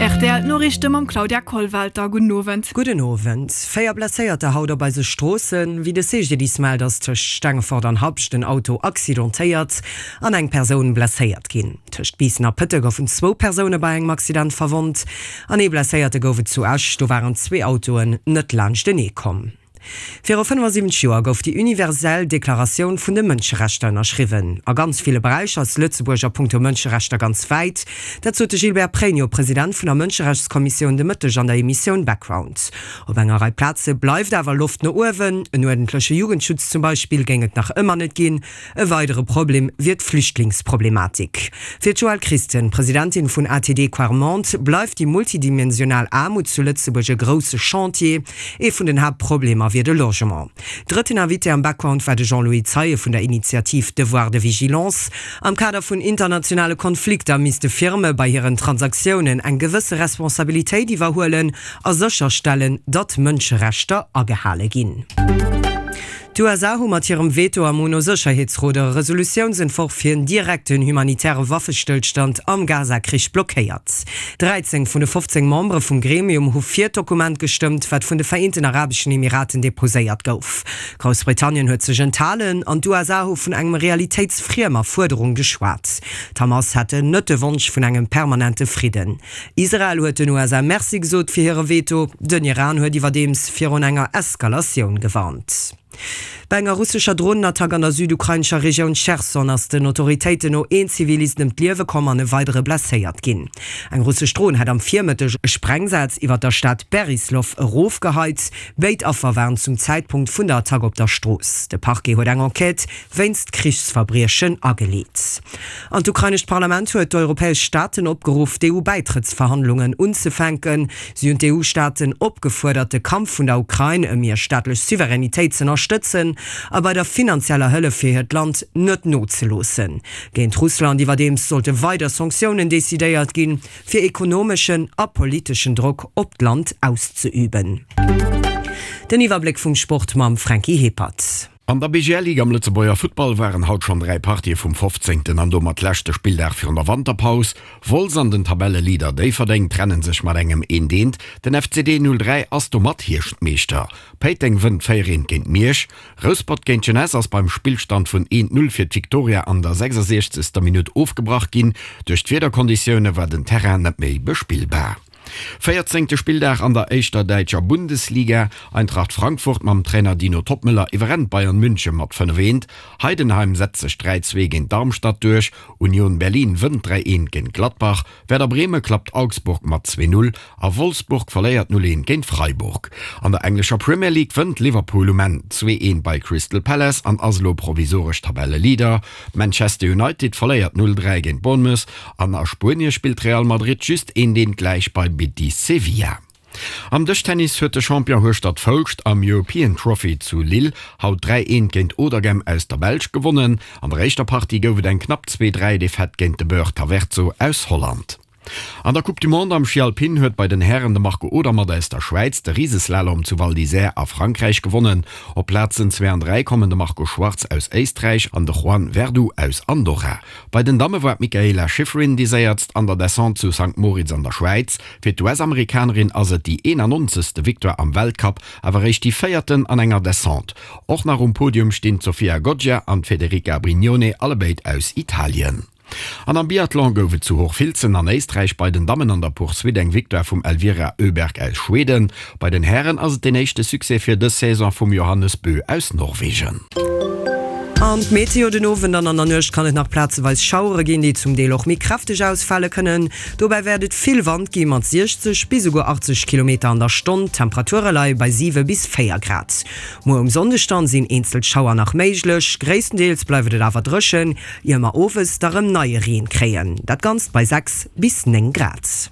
Rtl D'Noriichte mam Claudia Kollwelter. Gudden Owend. Gudden Owend. 4 Blesséierter haut op eise Stroossen. Wéi de CGDIS mellt, ass tëscht Stengefort an Habscht en Auto accidentéiert an eng Persoun blesséiert ginn. Tëscht Biissen a Pëtte goufen zwou Persoune bei engem Accident verwonnt an ee Blesséierte gouf et zu Esch. Do waren zwee Autoen net laanschtenee komm. Viru 75 Joer gouf déi universell Deklaratioun vun de Mënscherechter ënnerschriwwen. A ganz ville Beräicher ass Lëtzebuerg a punkto Mënscherechter ganz wäit. Dat sot de Gilbert Pregno, President vun der Mënscherechtskommissioun, de Mëtteg an der Emissioun Background. Op enger Rei Plaze bleift awer Loft no uewen. En uerdentleche Jugendschutz zum Beispill géing et nach ëmmer net ginn. E weidere Problem wier d'Flüchtlingsproblematik. Fir d'Joëlle Christen, Presidentin vun ATD Quart Monde, bleift déi multidimensional Aarmut zu Lëtzebuerg e grousse Chantier. Ee vun den Haaptproblemer wier de Logement. Drëtten Invité am Background war de Jean-Louis Zeie vun der Initiativ Devoir de vigilance. Am Kader vun internationale Konflikter misste Firme bei hiren Transaktiounen eng gewësse Responsabilitéit iwwerhuelen a sécherstellen, datt Mënscherechter agehale ginn. D'USA hu mat hirem Veto am UNO-Sécherheetsrot e Resolutiounsentworf fir en direkten humanitäre Waffestëllstand am Gaza-Krich blockéiert. 13 vun de 15 Membere vum Gremium hu fir d'Dokument gestëmmt, wat vun de Vereenten Arabeschen Emiraten deposéiert gouf. Groussbritannien huet sech enthalen an d'USA hu vun engem realitéitsfriemer Fuerderung geschwat. D'Hamas hätten net de Wonsch vun engem permanente Fridden. Israel huet den USA Merci gesot fir hire Veto. Den Iran huet iwwerdeems virun enger Eskalatioun gewarnt. Bei enger russescher Dronenattack an der südukrainescher Regioun Cherson ass den Autoritéiten no een Zivilist ëm d'Liewe komm an e weidere blesséiert ginn. Eng russesch Dron hätt am Virmëtteg e Sprengsaz iwwer der Stad Berislow erofgeheit. Béid Affer waren zum Zäitpunkt vun der Attack op der Strooss. De Parquet huet eng Enquête wéinst Krichsverbriechen ageleet. An d'ukrainescht Parlament huet d'europäesch Staaten opgeruff, d'EU-Bäitrëttsverhandlungen unzefänken. Si hunn d'EU-Staaten opgefuerdert, de Kampf vun der Ukrain ëm hir staatlech Souveränitéit z'ënnerstëtzen a bei der finanzieller Hëllef fir hiert Land net nozeloossen. Géint Russland iwwerdeems sollte weider Sanktiounen decidéiert ginn, fir ekonomeschen a politeschen Drock op d'Land auszeüben. Den Iwwerbléck vum Sport mam Franky Hippert. An der BGL Ligue am Lëtzebuerger Futtball waren haut schonn 3 Partië vum 15. An domat leschte Spilldag virun der Wanterpaus. Wolz an den Tabelleleader Déifferdeng trennen sech mat engem eent eent. Den FCD 03 ass domat Hierschtmeeschter. Péiteng wënnt 4 eent géint Miersch. Rouspert géint d'Jeunesse ass beim Spillstand vun eent 0 fir d'Victoria an der 66. Minutt ofgebrach ginn. Duerch d'Wiederkonditioune war den Terrain net méi bespillbar. Véierzéngte Spilldag an der éischter däitscher Bundesliga, Eintracht Frankfurt mam Trainer Dino Toppmöller iwwerrennt Bayern München mat 5, 1, Heidenheim setzt sech 3, 2 géint Darmstadt duerch, Union Berlin wënnt 3, 1 géint Gladbach, Werder Bremen klappt Augsburg mat 2, 0 a Wolfsburg verléiert 0, 1 géint Freiburg. An der englescher Premier League wënnt Liverpool um Enn 2, 1 bei Crystal Palace an ass elo provisoresch Tabelleleader. Manchester United verléiert 0, 3 géint Bournemouth An a Spuenie spillt Real Madrid just een Deen gläich bei Betis Sevilla. Am Dëschtennis huet de Champion Hueschtert Foulscht am European Trophy zu Lille haut 3, 1 géint Auderghem aus der Belsch gewonnen. An der éischter Partie gouf et eng knapp 2, 3 Defaite géint de Beur Taverzo aus Holland. An der Coupe du Monde am Schi Alpin huet bei den Hären de Marco Odermatt aus der Schwäiz de Riseslalom zu Val d'Isère a Frankräich gewonnen. Op Plazen 2 an 3 kommen de Marco Schwarz aus Éisträich an de Juan Verdu aus Andorra. Bei den Damme war d'Mikaela Shiffrin déi séiertst an der Descente zu Sankt Moritz an der Schwäiz. Fir d'US-Amerikanerin ass et déi 91. Victoire am Weltcup, awer eréischt déi véierten an enger Descente. Och nach um Podium stinn d'Sofia Goggia an d'Federica Brignone, allebéid aus Italien. An am Biathlon gouf et zu Hochfilzen an Éisträich bei den Dammen an der Poursuite eng Victoire vum Elvira Öberg aus Schweden. Bei den Hären ass et deen éischte Succès fir dës Saison vum Johannes Bö aus Norwegen. An d'Meteo, Den Owend an an der Nuecht kann et nach plazeweis Schauere ginn, déi zum Deel och méi kräfteg ausfale kënnen. Dobäi wäert et vill Wand gi mat 60 bis esouguer 80 Kilometer an der Stonn. D'Temperature leie bei 7 bis 4 Grad. Muer um Sonndeg dann sinn eenzel Schauer nach méiglech, gréisstendeels bleift et awer dréchen, ier mer owes da rëm neie Reen kréien. Dat Ganzt bei 6 bis 9 Grad.